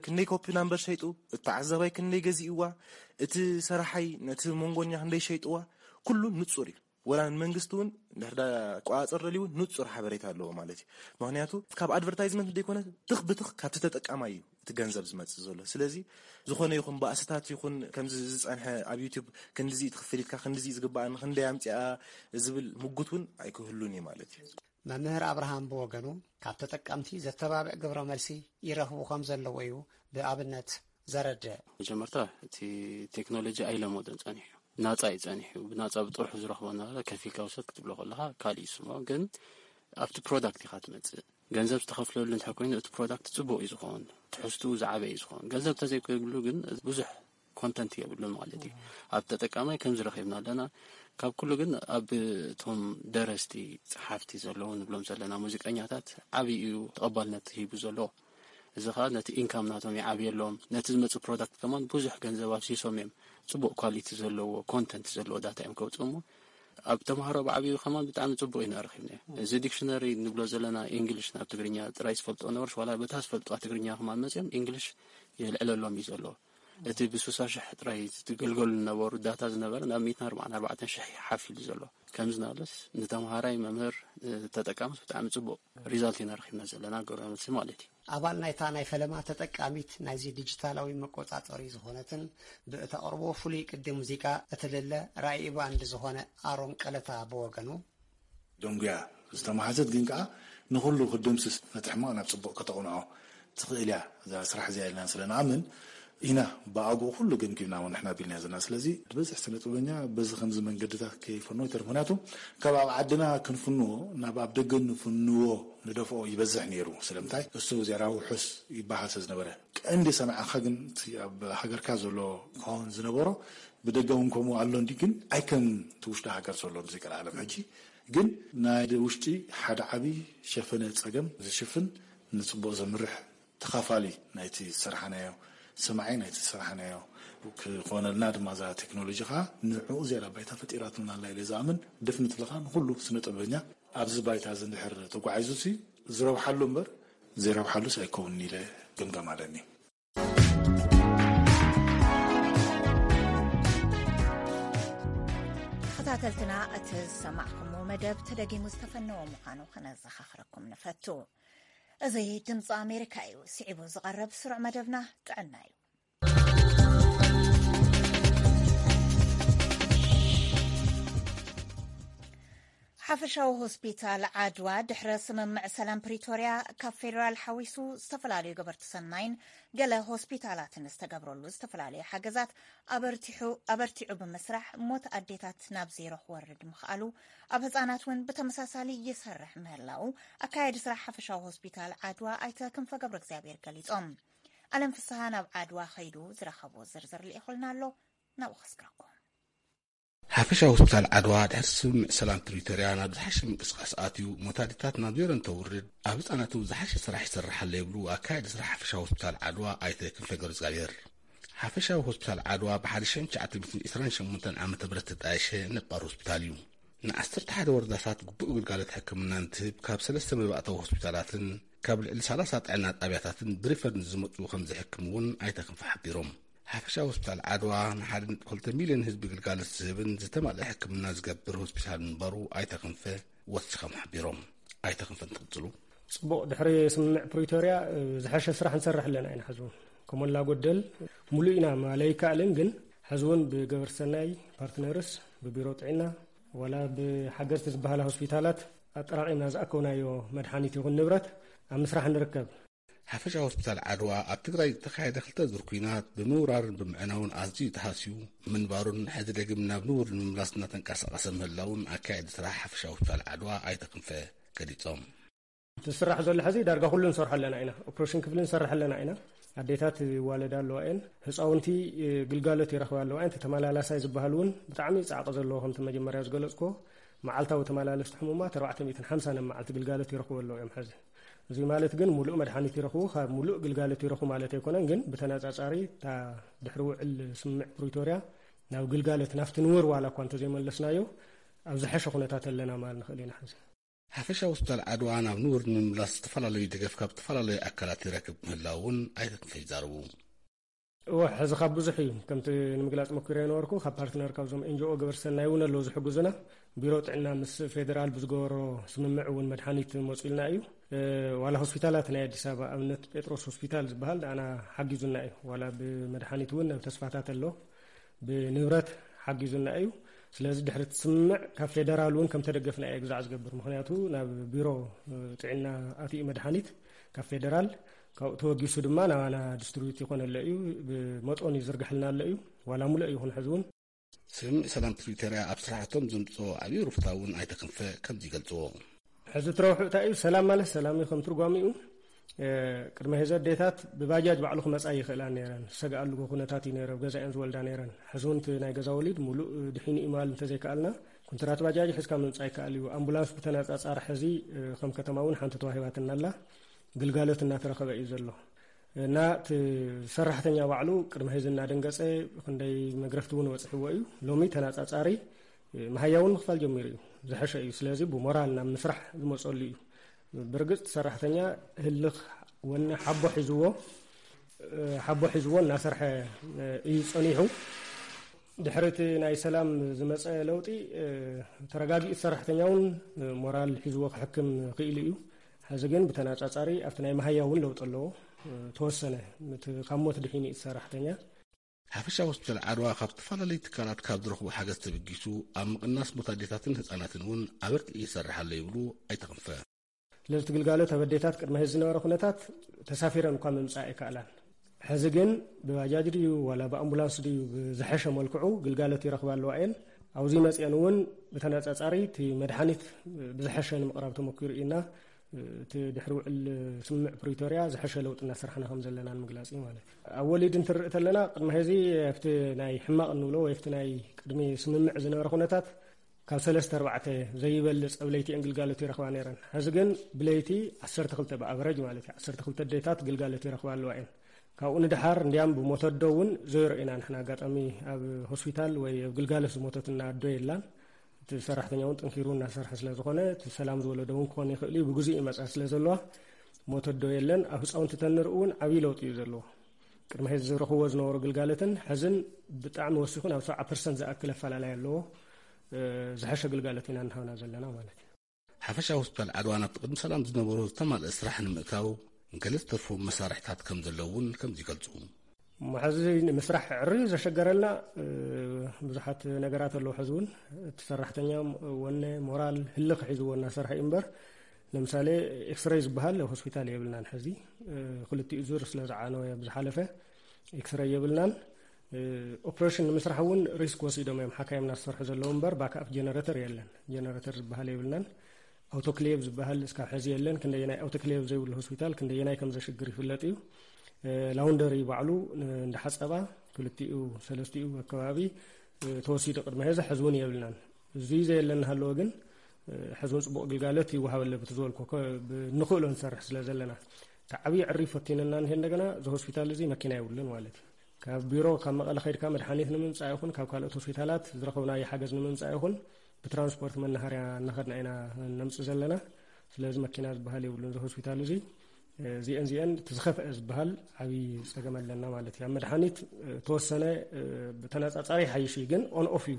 ክንደይ ኮፒ ናምበር ሸይጡ፣ እቲ ተዓዛባይ ክንደይ ገዚእዋ፣ እቲ ሰራሓይ ነቲ መንጎኛ ክንደይ ሸይጥዋ ኩሉ ንፁር እዩ። ወላ ንመንግስቲ እውን ድሕር ዳ ቆፃፀር ደልዩ ንፁር ሓበሬታ ኣለዎ ማለት እዩ። ምክንያቱ ካብ ኣድቨርታይዝመንት ዘይኮነ ትኽ ብትኽ ካብቲ ተጠቃማይ እዩ እቲ ገንዘብ ዝመፅእ ዘሎ። ስለዚ ዝኾነ ይኹን ባእስታት ይኹን ከምዚ ዝፀንሐ ኣብ ዩቲዩብ ክንድዚ ትኽፍል ኢልካ ክንድዚ ዝግባኣኒ ክንደይ ኣምፅኣ ዝብል ምጉት እውን ኣይክህሉን እዩ ማለት እዩ። መምህር ኣብርሃም ብወገኑ ካብ ተጠቀምቲ ዘተባብዕ ግብረ መልሲ ይረኽቡ ከም ዘለዎ እዩ ብኣብነት ዘረድእ። መጀመርታ እቲ ቴክኖሎጂ ኣይለመዶን ጸኒሑ፣ ናጻ እዩ ጸኒሑ። ብናጻ ብጥርሑ ዝረኽቦ እናበለ ከፊልካ ውሰድ ክትብሎ ከለኻ ካልእ እዩ ስሞ። ግን ኣብቲ ፕሮዳክት ኢኻ ትመጽእ። ገንዘብ ዝተኸፍለሉ እንተ ኮይኑ እቲ ፕሮዳክት ጽቡቕ እዩ ዝኾን፣ ትሕዝቱ ዝዓበ እዩ ዝኾን። ገንዘብ ተዘይኮይብሉ ግን ብዙሕ ኮንተንት የብሉን ማለት እዩ። ኣብ ተጠቃማይ ከምዚ ረኺብና ኣለና። ካብ ኩሉ ግን ኣብ እቶም ደረስቲ፣ ጸሓፍቲ ዘለዉ ንብሎም ዘለና ሙዚቀኛታት ዓቢ እዩ ተቐባልነት ሂቡ ዘሎ። እዚ ኸኣ ነቲ ኢንካም ናቶም ይዓብየሎም፣ ነቲ ዝመጽእ ፕሮዳክት ከማን ብዙሕ ገንዘብ ኣፍሲሶም እዮም ጽቡቕ ኳሊቲ ዘለዎ ኮንተንት ዘለዎ ዳታ እዮም ከውጽኡ እሞ ኣብ ተምሃሮ ብዓብዩ ከማን ብጣዕሚ ጽቡቕ ኢና ረኺብናዮ። እዚ ዲክሽነሪ ንብሎ ዘለና ኢንግሊሽ ናብ ትግርኛ ጥራይ ዝፈልጦ ነበርስ ዋላ በታ ዝፈልጥዋ ትግርኛ ከማን መጽዮም ኢንግሊሽ የልዕለሎም እዩ ዘሎ። እቲ ብስሳ ሽሕ ጥራይ ዝግልገሉ ዝነበሩ ዳታ ዝነበረ ናብ ሚእትን ኣርባዓን ኣርባዕተን ሽሕ ሓፍ ኢሉ ዘሎ። ከምዚ ናለስ ንተምሃራይ መምህር ተጠቃምስ ብጣዕሚ ጽቡቕ ሪዛልት ኢና ረኺብና ዘለና ግብረ መልሲ ማለት እዩ። ኣባል ናይታ ናይ ፈለማ ተጠቃሚት ናይዚ ዲጂታላዊ መቆጻጸሪ ዝኾነትን ብእተቕርቦ ፍሉይ ቅዲ ሙዚቃ እትልለ ራኢ ባንድ ዝኾነ ኣሮን ቀለታ ብወገኑ፣ ደንጉያ ዝተማሃዘት ግን ከኣ ንኹሉ ክትድምስስ ነቲ ሕማቕ ናብ ጽቡቕ ከተቕንዖ ትኽእል እያ እዛ ስራሕ እዚኣ ኢልና ስለ ንኣምን ኢና ብኣግኡ ኩሉ ገምጊምና እውን ንሕና ኣቢልናዮ ዘለና። ስለዚ ዝበዝሕ ስነ ጥበበኛ በዚ ከምዚ መንገድታት ከይፈንዎ ይተርፍ። ምኽንያቱ ካብ ኣብ ዓድና ክንፍንዎ ናብ ኣብ ደገ ንፍንዎ ንደፍኦ ይበዝሕ ነይሩ። ስለምንታይ እሱ ዜራ ውሑስ ይበሃል ስለ ዝነበረ። ቀንዲ ሰማዕኻ ግን እቲ ኣብ ሃገርካ ዘሎ ክኸውን ዝነበሮ ብደገ እውን ከምኡ ኣሎ እንዲ ግን ኣይከም እቲ ውሽጢ ሃገር ዘሎ ብዘይቀልዓለም ሕጂ ግን ናይ ውሽጢ ሓደ ዓቢ ሸፈነ ጸገም ዝሽፍን ንጽቡቕ ዘምርሕ ተኻፋሊ ናይቲ ዝሰራሕናዮ ሰማዒ ናይቲ ዝሰራሕናዮ ክኾነልና ድማ እዛ ቴክኖሎጂ ኸዓ ንዕኡ ዝያዳ ባይታ ፈጢራትልና ኣላ ኢለ ዝኣምን። ደፍኒትሊ ኸዓ ንኹሉ ስነ ጥበበኛ ኣብዚ ባይታ እዚ እንድሕር ተጓዒዙ ሲ ዝረብሓሉ እምበር ዘይረብሓሉስ ኣይከውንን ኢለ ግምጋም ኣለኒ። ተኸታተልትና እቲ ዝሰማዕኩምዎ መደብ ተደጊሙ ዝተፈነወ ምዃኑ ከነዘኻኽረኩም ንፈቱ። እዚ ድምፂ ኣሜሪካ እዩ። ስዒቡ ዝቐርብ ስሩዕ መደብና ጥዕና እዩ። ሓፈሻዊ ሆስፒታል ዓድዋ ድሕረ ስምምዕ ሰላም ፕሪቶርያ ካብ ፌዴራል ሓዊሱ ዝተፈላለዩ ገበርቲ ሰናይን ገለ ሆስፒታላትን ዝተገብረሉ ዝተፈላለዩ ሓገዛት ኣበርቲዑ ብምስራሕ ሞት ኣዴታት ናብ ዜሮ ክወርድ ምኽኣሉ ኣብ ህፃናት እውን ብተመሳሳሊ ይሰርሕ ምህላው ኣካየዲ ስራሕ ሓፈሻዊ ሆስፒታል ዓድዋ ኣይተ ክንፈ ገብረ እግዚኣብሔር ገሊፆም። ኣለም ፍስሃ ናብ ዓድዋ ከይዱ ዝረኸቦ ዝርዝር ልኢኹልና ኣሎ። ናብኡ ከስግረኩም። ሓፈሻዊ ሆስፒታል ዓድዋ ድሕሪ ስምምዕ ሰላም ፕሪቶርያ ናብ ዝሓሸ ምንቅስቃስ ኣትዩ ሞት ኣዴታት ናብ ዜሮ እንተውርድ ኣብ ህፃናት እውን ዝሓሸ ስራሕ ይሰርሕ ኣሎ ይብሉ ኣካያዲ ስራሕ ሓፈሻዊ ሆስፒታል ዓድዋ ኣይተ ክንፈ ገብረእግዚኣብሔር። ሓፈሻዊ ሆስፒታል ዓድዋ ብ ሓደ ሽሕን ትሽዓተ ሚእትን ዕስራን ሸሞንተን ዓመተ ምህረት ዝተጣየሸ ነባር ሆስፒታል እዩ። ንዓሰርተ ሓደ ወረዳታት ግቡእ ግልጋሎት ሕክምና እንትህብ ካብ ሰለስተ መባእታዊ ሆስፒታላትን ካብ ልዕሊ ሰላሳ ጥዕና ጣብያታትን ብሪፈር ንዝመፁ ከም ዝሕክም እውን ኣይተ ክንፈ ሓቢሮም። ሓፈሻዊ ሆስፒታል ዓድዋ ንሓደ ነጥቢ ክልተ ሚልዮን ህዝቢ ግልጋሎት ዝህብን ዝተማልአ ሕክምና ዝገብር ሆስፒታል ምንባሩ ኣይተ ክንፈ ወሲኾም ሓቢሮም። ኣይተ ክንፈ እንትቕፅሉ። ፅቡቕ ድሕሪ ስምምዕ ፕሪቶርያ ዝሐሸ ስራሕ ንሰርሕ ኣለና ኢና። ሕዚ እውን ከሞላ ጎደል ሙሉእ ኢና ማለ ኣይከኣልን፣ ግን ሕዚ እውን ብገበርቲ ሰናይ ፓርትነርስ ብቢሮ ጥዕና ዋላ ብሓገዝቲ ዝበሃላ ሆስፒታላት ኣጠራቒምና ዝኣከብናዮ መድሓኒት ይኹን ንብረት ኣብ ምስራሕ ንርከብ። ሓፈሻዊ ሆስፒታል ዓድዋ ኣብ ትግራይ ዝተኻየደ ክልተ ዙር ኲናት ብምውራርን ብምዕናውን ኣዝዩ ተሃስዩ ምንባሩን ሕዚ ደጊም ናብ ንቡር ንምምላስ እናተንቀሳቐሰ ምህላውን ኣካየዲ ስራሕ ሓፈሻዊ ሆስፒታል ዓድዋ ኣይተ ክንፈ ገሊፆም። እቲ ዝስራሕ ዘሎ ሕዚ ዳርጋ ኩሉ ንሰርሖ ኣለና ኢና። ኦፕሬሽን ክፍሊ ንሰርሕ ኣለና ኢና። ኣዴታት ይዋለዳ ኣለዋ እየን። ህፃውንቲ ግልጋሎት ይረኽባ ኣለዋ እየን። እቲ ተመላላሳይ ዝበሃል እውን ብጣዕሚ ፃዕቂ ዘለዎ ከምቲ መጀመርያ ዝገለፅኩዎ መዓልታዊ ተመላለስቲ ሕሙማት ኣርባዕተ ሚእትን ሓምሳን ኣብ መዓልቲ ግልጋሎት ይረኽቡ ኣለዉ እዮም ሕዚ። እዚ ማለት ግን ሙሉእ መድሓኒት ይረኽቡ፣ ካብ ሙሉእ ግልጋሎት ይረኽቡ ማለት ኣይኮነን፣ ግን ብተነፃፃሪ እታ ድሕሪ ውዕል ስምምዕ ፕሪቶርያ ናብ ግልጋሎት ናብቲ ንቡር ዋላ እኳ እንተዘይመለስናዮ ኣብ ዝሐሸ ኩነታት ኣለና ማለት ንኽእል ኢና ሕዚ። ሓፈሻዊ ሆስፒታል ዓድዋ ናብ ንቡር ንምምላስ ዝተፈላለዩ ደገፍ ካብ ዝተፈላለዩ ኣካላት ይረክብ ምህላው እውን ኣይተ ክንፈ ይዛረቡ። እወ፣ ሕዚ ካብ ብዙሕ እዩ። ከምቲ ንምግላጽ ሞኪረ ነበርኩ፣ ካብ ፓርትነር፣ ካብዞም ኤንጂኦ ገበርቲ ሰናይ እውን ኣለዉ ዝሕግዙና። ቢሮ ጥዕና ምስ ፌደራል ብዝገበሮ ስምምዕ እውን መድሓኒት መጺኡልና እዩ። እ፣ ዋላ ሆስፒታላት ናይ ኣዲስ ኣበባ፣ ኣብነት ጴጥሮስ ሆስፒታል ዝበሃል ንኣና ሓጊዙና እዩ። ዋላ ብመድሓኒት እውን ተስፋታት ኣሎ፣ ብንብረት ሓጊዙና እዩ። ስለዚ ድሕሪ እቲ ስምምዕ ካብ ፌደራል እውን ከም ተደገፍና እየ ግዛዕ ዝገብር። ምኽንያቱ ናብ ቢሮ፣ እ፣ ጥዕና ኣትዩ መድሓኒት ካብ ፌደራል፣ ካብኡ ተወጊሱ ድማ ናባና ዲስትሪቢዩት ይኾነለ እዩ። ብመጠኑ ይዝርግሐልና ኣሎ እዩ። ዋላ ሙሉእ ይኹን ሕዚ እውን። ስምምዕ ሰላም ፕሪቶርያ ኣብ ስራሕቶም ዘምፅኦ ዓብዪ ሩፍታ እውን ኣይተ ክንፈ ከምዚ ይገልፅዎ። ሕዚ እቲ ረብሑ እንታይ እዩ? ሰላም ማለት ሰላም እዩ ከም ትርጓሚኡ። እ፣ ቅድሚ ሕዚ ኣዴታት ብባጃጅ ባዕሉ ክመፃ ይኽእላ ነይረን። ዝሰግኣሉ ኩነታት እዩ ነይረ፣ ኣብ ገዛ እየን ዝወልዳ ነይረን። ሕዚ እውን እቲ ናይ ገዛ ወሊድ ሙሉእ ድሒኑ እዩ ምባል እንተዘይከኣልና፣ ኩንትራት ባጃጅ ሒዝካ ምምፃእ ይከኣል እዩ። ኣምቡላንስ ብተነፃፃሪ ሕዚ፣ እ፣ ከም ከተማ እውን ሓንቲ ተዋሂባትና ኣላ። ግልጋሎት እናተረኸበ እዩ ዘሎ። እና እቲ ሰራሕተኛ ባዕሉ ቅድሚ ሕዚ እናደንገጸ ክንደይ መግረፍቲ እውን ወጽሕዎ እዩ። ሎሚ ተነጻጻሪ መሃያ እውን ምኽፋል ጀሚሩ እዩ። ዝሐሸ እዩ። ስለዚ ብሞራል ናብ ምስራሕ ዝመጸሉ እዩ። ብርግጽ ሰራሕተኛ ህልኽ ወነ ሓቦ ሒዝዎ፣ ሓቦ ሒዝዎ እናሰርሐ እዩ ጸኒሑ። ድሕሪ እቲ ናይ ሰላም ዝመጸ ለውጢ፣ ተረጋጊኡ ሰራሕተኛ እውን ሞራል ሒዝዎ ክሕክም ክኢሉ እዩ። ሕዚ ግን ብተነጻጻሪ ኣብቲ ናይ መሃያ እውን ለውጢ ኣለዎ። ተወሰነ፣ እቲ ካብ ሞት ድሒኑ እዩ እቲ ሰራሕተኛ። ሓፈሻዊ ሆስፒታል ዓድዋ ካብ ዝተፈላለዩ ትካላት ካብ ዝረኽቦ ሓገዝ ተበጊሱ ኣብ ምቕናስ ሞት ኣዴታትን ህፃናትን እውን ኣበርቲዑ ይሰርሕ ኣሎ ይብሉ ኣይተ ክንፈ። ስለዚ እቲ ግልጋሎት ኣብ ኣዴታት ቅድሚ ሕዚ ዝነበረ ኩነታት ተሳፊረን እኳ ምምፃእ ኣይከኣላን። ሕዚ ግን ብባጃጅ ድዩ ዋላ ብኣምቡላንስ ድዩ ብዝሐሸ መልክዑ ግልጋሎት ይረኽባ ኣለዋ እየን። ኣብዚ መፅአን እውን ብተነፃፃሪ እቲ መድሓኒት ብዝሐሸ ንምቕራብ ተመኪሩ ኢና። እቲ ድሕሪ ውዕል ስምምዕ ፕሪቶርያ ዝሐሸ ለውጢ እናሰርሕና ከም ዘለና ንምግላፅ እዩ ማለት እዩ። ኣብ ወሊድ እንትንርኢ ተለና ቅድሚ ሕዚ ኣብቲ ናይ ሕማቕ እንብሎ ወይ ኣብቲ ናይ ቅድሚ ስምምዕ ዝነበረ ኩነታት ካብ ሰለስተ ኣርባዕተ ዘይበልፅ ኣብ ለይቲ እየን ግልጋሎት ይረኽባ ነይረን። ሕዚ ግን ብለይቲ ዓሰርተ ክልተ ብኣቨረጅ ማለት እዩ፣ ዓሰርተ ክልተ ኣዴታት ግልጋሎት ይረኽባ ኣለዋ እየን። ካብኡ ንደሓር እንዲያም ብሞተ ኣዶ እውን ዜሮ ኢና ንሕና። ኣጋጣሚ ኣብ ሆስፒታል ወይ ኣብ ግልጋሎት ዝሞተትና ኣዶ የላን። እቲ ሰራሕተኛ እውን ጠንኪሩ እናሰርሐ ስለ ዝኾነ እቲ ሰላም ዝወለዶ እውን ክኾን ይኽእል እዩ፣ ብግዜኡ ይመፃ ስለ ዘለዋ ሞተ ኣዶ የለን። ኣብ ህፃውንቲ ተንርኢ እውን ዓብዪ ለውጢ እዩ ዘለዎ። ቅድሚ ሕዚ ዝረኽብዎ ዝነበሩ ግልጋሎትን ሕዝን ብጣዕሚ ወሲኹ ናብ ሰብዓ ፐርሰንት ዝኣክል ኣፈላላይ ኣለዎ። እ፣ ዝሐሸ ግልጋሎት ኢና እናሃብና ዘለና ማለት እዩ። ሓፈሻዊ ሆስፒታል ዓድዋ ናብቲ ቅድሚ ሰላም ዝነበሮ ዝተማልአ ስራሕ ንምእታው ገለ ዝተርፎም መሳርሕታት ከም ዘለዉ እውን ከምዚ ይገልፁ። እሞ ሕዚ ንምስራሕ ዕርዩ ዘሸገረልና፣ እ፣ ብዙሓት ነገራት ኣለዉ። ሕዚ እውን እቲ ሰራሕተኛ ወነ፣ ሞራል፣ ህልኽ ሒዝዎ እናሰርሐ እዩ እምበር፣ ለምሳሌ ኤክስሬይ ዝበሃል ሆስፒታል የብልናን። ሕዚ፣ እ፣ ክልቲኡ ዙር ስለ ዝዓነወ ብዝሓለፈ ኤክስሬይ የብልናን። እ፣ ኦፕሬሽን ንምስራሕ እውን ሪስክ ወሲዶም እዮም ሓካይምና ዝሰርሑ ዘለዉ እምበር፣ ባክኣፕ ጀነሬተር የለን። ጀነሬተር ዝበሃል የብልናን። ኣውቶክሌቭ ዝበሃል እስካብ ሕዚ የለን። ክንደየናይ ኣውቶክሌቭ ዘይብሉ ሆስፒታል ክንደየናይ ከም ዘሽግር ይፍለጥ እዩ። እ፣ ላውንደሪ ባዕሉ ን-፣ እንዳሓጸባ ክልቲኡ ሰለስቲኡ ኣከባቢ፣ እ፣ ተወሲዱ ቅድሚ ሕዚ፣ ሕዚ እውን የብልናን። እዚ ዘየለን ሃለወ ግን፣ እ፣ ሕዚ እውን ጽቡቕ ግልጋሎት ይወሃበለ ብቲ ዝበልኮ ኮ-፣ ብ-፣ ንኽእሎ ንሰርሕ ስለ ዘለና። እቲ ዓብዪ ዕሪ ፈቲንና እንሄ እንደገና እዚ ሆስፒታል እዚ መኪና የብሉን ማለት እዩ። ካብ ቢሮ ካብ መቐለ ከይድካ መድሓኒት ንምምጻእ ይኹን ካብ ካልኦት ሆስፒታላት ዝረኸብናዮ ሓገዝ ንምምጻእ ይኹን ብትራንስፖርት መናሃርያ እናኸድና ኢና ነምጽእ ዘለና። ስለዚ መኪና ዝበሃል የብሉን እዚ ሆስፒታል እዚ። እዚአን እዚአን እቲ ዝኸፍአ ዝበሃል ዓብዪ ጸገም ኣለና ማለት እዩ። ኣብ መድሓኒት፣ እ፣ ተወሰነ፣ እ፣ ብተነጻጻሪ ይሓይሽ እዩ፣ ግን ኦን ኦፍ እዩ።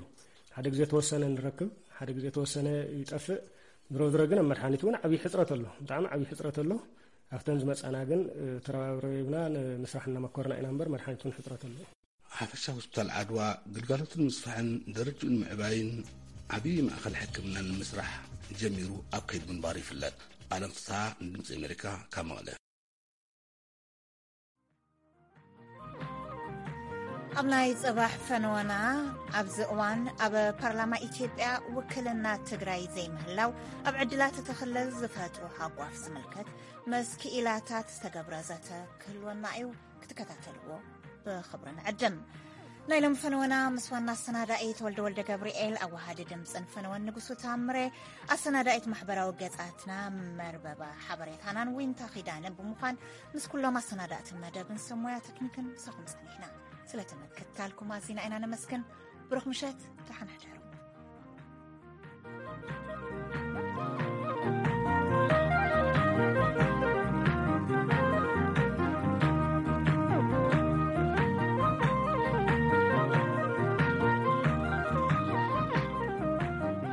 ሓደ ግዜ ተወሰነ ንረክብ፣ ሓደ ግዜ ተወሰነ ይጠፍእ። ዝሮ ዝሮ ግን ኣብ መድሓኒት እውን ዓብዪ ሕጽረት ኣሎ፣ ብጣዕሚ ዓብዪ ሕጽረት ኣሎ። ኣብተን ዝመጻና ግን፣ እ፣ ተረባብረብና ንምስራሕ እናመኮርና ኢና እምበር መድሓኒት እውን ሕጽረት ኣሎ። ሓፈሻ ሆስፒታል ዓድዋ ግልጋሎቱ ንምስፋሕን ደረጅኡ ንምዕባይን ዓብዪ ማእኸል ሕክምና ንምስራሕ ጀሚሩ ኣብ ከይዲ ምንባሩ ይፍለጥ። ኣለም ፍስሓ ንድምፂ ኣሜሪካ ካብ መቐለ። ኣብ ናይ ጽባሕ ፈነወና፣ ኣብዚ እዋን ኣብ ፓርላማ ኢትዮጵያ ውክልና ትግራይ ዘይምህላው ኣብ ዕድላት እቲ ክልል ዝፈጥሮ ሃጓፍ ዝምልከት ምስ ክኢላታት ዝተገብረ ዘተ ክህልወና እዩ። ክትከታተልዎ ብኽብሪ ንዕድም። ናይ ሎም ፈነወና ምስ ዋና ኣሰናዳኢ ተወልደ ወልደ ገብርኤል፣ ኣዋሃዲ ድምፅን ፈነወን ንጉሱ ታምሬ፣ ኣሰናዳኢት ማሕበራዊ ገጻትና መርበባ ሓበሬታናን ዊንታ ኺዳነ ብምዃን ምስ ኩሎም ኣሰናዳእትን መደብን ሰብ ሞያ ተክኒክን ምሳኹም ጸኒሕና። ስለ ተመክታልኩም ኣዚና ኢና ነመስግን። ብሩኽ ምሸት፣ ደሓን ሕደሩ።